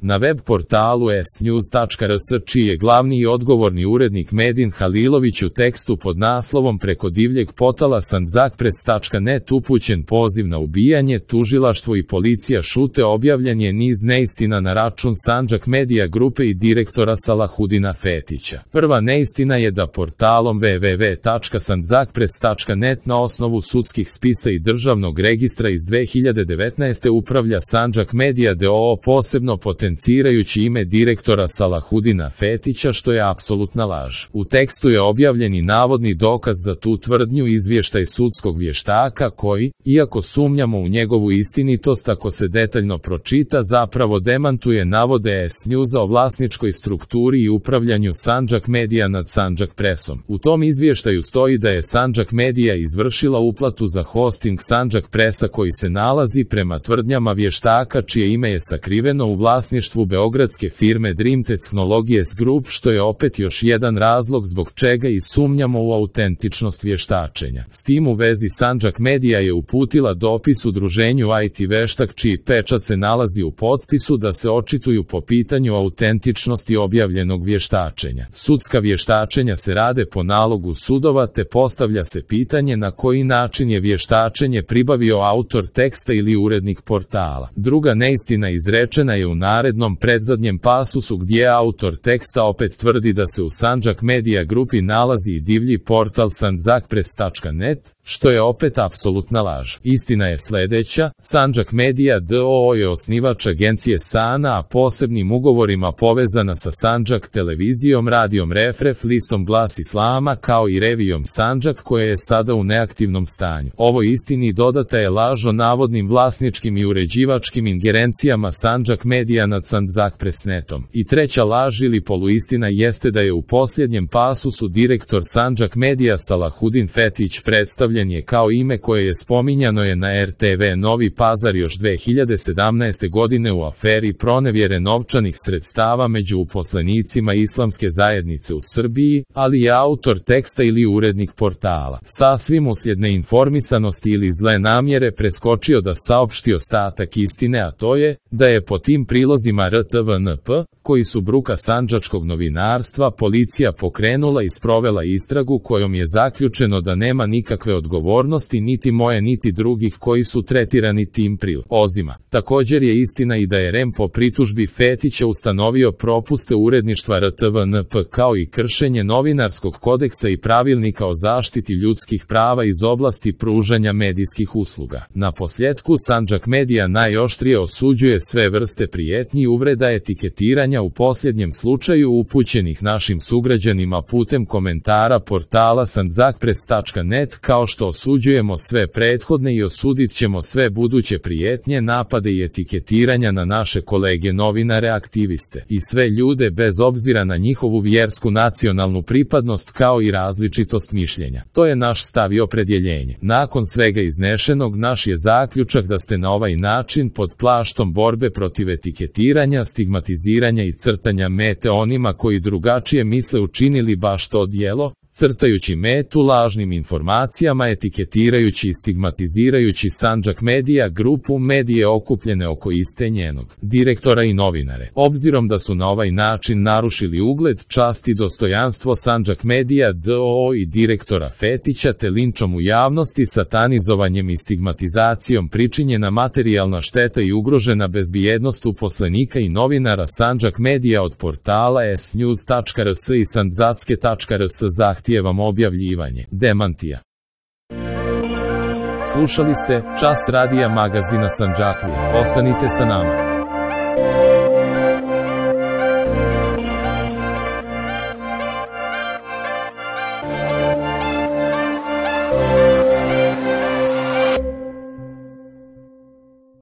Na web portalu snews.rs, čiji je glavni i odgovorni urednik Medin Halilović, u tekstu pod naslovom "Preko divljeg potala Sandžakpress.net upućen poziv na ubijanje, tužilaštvo i policija šute", objavljen je niz neistina na račun Sandžak Media grupe i direktora Salahudina Fetića. Prva neistina je da portalom www.sandžakpress.net na osnovu sudskih spisa i državnog registra iz 2019. upravlja Sandžak Media d.o.o. posebno potencirajući ime direktora Salahudina Fetića, što je apsolutna laž. U tekstu je objavljen i navodni dokaz za tu tvrdnju, izvještaj sudskog vještaka koji, iako sumnjamo u njegovu istinitost ako se detaljno pročita, zapravo demantuje navode S-Newsa o vlasničkoj strukturi i upravljanju Sandžak Media nad Sandžak Pressom. U tom izvještaju stoji da je Sandžak Media izvršila uplatu za hosting Sandžak Pressa koji se nalazi, prema tvrdnjama vještaka čije ime je sakriveno, u vlasništvu beogradske firme Dream Technologies Group, što je opet još jedan razlog zbog čega i sumnjamo u autentičnost vještačenja. S tim u vezi Sandžak Media je uputila dopis udruženju IT Veštak, čiji pečat se nalazi u potpisu, da se očituju po pitanju autentičnosti objavljenog vještačenja. Sudska vještačenja se rade po nalogu sudova, te postavlja se pitanje na koji način je vještačenje pribavio autor teksta ili urednik portala. Druga neistina izrečena je u narednom predzadnjem pasusu, gdje autor teksta opet tvrdi da se u Sandžak Media grupi nalazi i divlji portal Sandžakpress.net, što je opet apsolutna laž. Istina je sljedeća: Sandžak Media d.o.o. je osnivač agencije SANA, a posebnim ugovorima povezana sa Sandžak televizijom, radijom Refref, listom Glas Islama, kao i revijom Sandžak, koja je sada u neaktivnom stanju. Ovoj istini dodata je laž o navodnim vlasničkim i uređivačkim ingerencijama Sandžak Media nad Sandžakpress.netom. I treća laž ili poluistina jeste da je u posljednjem pasusu direktor Sandžak Media Salahudin Fetić predstavljen je kao ime koje je spominjano je na RTV Novi Pazar još 2017. godine u aferi pronevjere novčanih sredstava među uposlenicima islamske zajednice u Srbiji, ali je autor teksta ili urednik portala sasvim uslijed neinformisanosti ili zle namjere preskočio da saopšti ostatak istine, a to je da je po tim prilozima RTVNP, koji su bruka sandžačkog novinarstva, policija pokrenula i sprovela istragu kojom je zaključeno da nema nikakve odgovornosti niti moje niti drugih koji su tretirani tim prilozima. Također je istina i da je REM po pritužbi Fetića ustanovio propuste uredništva RTVNP kao i kršenje novinarskog kodeksa i pravilnika o zaštiti ljudskih prava iz oblasti pružanja medijskih usluga. Na posljetku, Sandžak Media najoštrije osuđuje sve vrste prijetnji i uvreda etiketiranja, u posljednjem slučaju upućenih našim sugrađanima putem komentara portala Sandžakpress.net, kao što osuđujemo sve prethodne i osudit ćemo sve buduće prijetnje, napade i etiketiranja na naše kolege novinare, aktiviste i sve ljude bez obzira na njihovu vjersku, nacionalnu pripadnost kao i različitost mišljenja. To je naš stav i opredjeljenje. Nakon svega iznešenog, naš je zaključak da ste na ovaj način pod plaštom borbe protiv etiketiranja, stigmatiziranja i crtanja mete onima koji drugačije misle učinili baš to djelo, crtajući metu lažnim informacijama, etiketirajući i stigmatizirajući Sandžak Media grupu, medije okupljene oko iste njenog direktora i novinare. Obzirom da su na ovaj način narušili ugled, čast i dostojanstvo Sandžak Media d.o.o. i direktora Fetića, te linčom u javnosti, satanizovanjem i stigmatizacijom pričinjena materijalna šteta i ugrožena bezbjednost uposlenika i novinara, Sandžak Media od portala snews.rs i sandzacke.rs zahtijevam objavljivanje demantija. Slušali ste Čas radija magazina Sandžaklija. Ostanite sa nama.